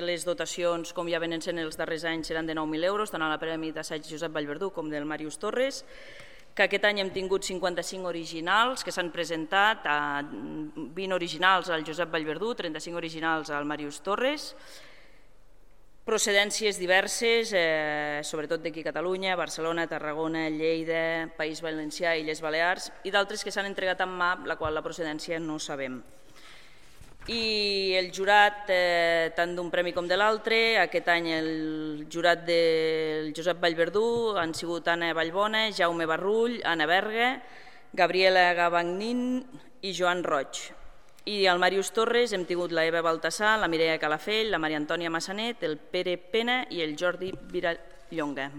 Les dotacions, com ja venen sent els darrers anys, seran de 9.000 euros, tant a la Premi d'Assaig Josep Vallverdú com del Màrius Torres, que aquest any hem tingut 55 originals que s'han presentat, 20 originals al Josep Vallverdú, 35 originals al Màrius Torres, procedències diverses, sobretot d'aquí a Catalunya, Barcelona, Tarragona, Lleida, País Valencià i Illes Balears, i d'altres que s'han entregat en mà, la qual la procedència no sabem. I el jurat, tant d'un premi com de l'altre, aquest any el jurat del Josep Vallverdú han sigut Anna Vallbona, Jaume Barrull, Anna Berga, Gabriela Gavagnin i Joan Roig. I al Màrius Torres hem tingut la Eva Baltasar, la Mireia Calafell, la Maria Antònia Massanet, el Pere Pena i el Jordi Virallonga.